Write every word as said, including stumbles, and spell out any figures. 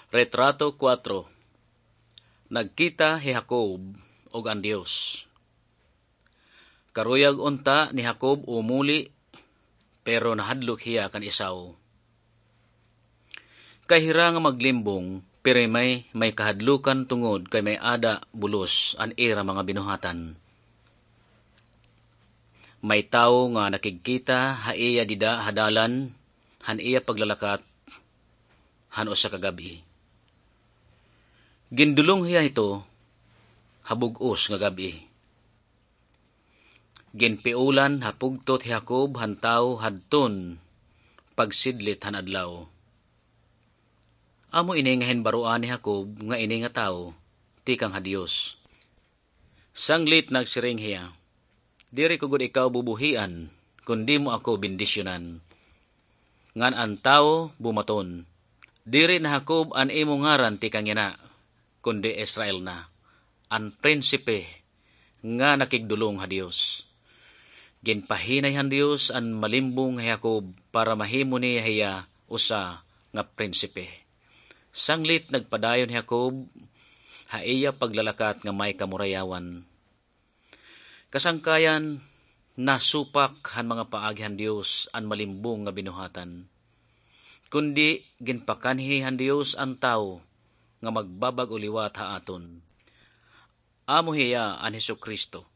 Retrato kuwatro. Nagkita hi Jacob ug an Dios. Karuyag unta ni Jacob umuli, pero nahadlok hiya kan Esau. Kay hira nga maglimbong, pirmi may kahadlukan tungod kay may-ada bulos an ira mga binuhatan. May tawo nga nakigkita ha iya dida ha dalan, han iya paglalakat, han usa ka gab-i. Gindulong hiya hito ha bug-os nga gab-i. Ginpiulan ha pugtot hi Jacob han tawo hadton pagsidlit han adlaw. Amo ini nga hinbaroan ni Jacob nga ini nga tawo tikang ha Dios. Sanglit nagsiring hiya, "Diri ko gud ikaw bubuhian, kun dimo ako bendisyonan." Ngan an tawo bumaton, "Diri na Jacob an imo ngaran tikang yana, kundi Israel na, an prinsipe nga nakigdulong ha Dios." Ginpahinay han Dios an malimbong hi Jacob para mahimo niya hiya usa nga prinsipe. Sanglit nagpadayon hi Jacob ha iya paglalakat nga may kamurayawan. Kasangkayan, nasupak han mga paagi han Dios an malimbong nga binuhatan. Kundi ginpakanhi han Dios an tawo nga magbabag-o liwat ha aton. Amo hiya an Jesu-Cristo.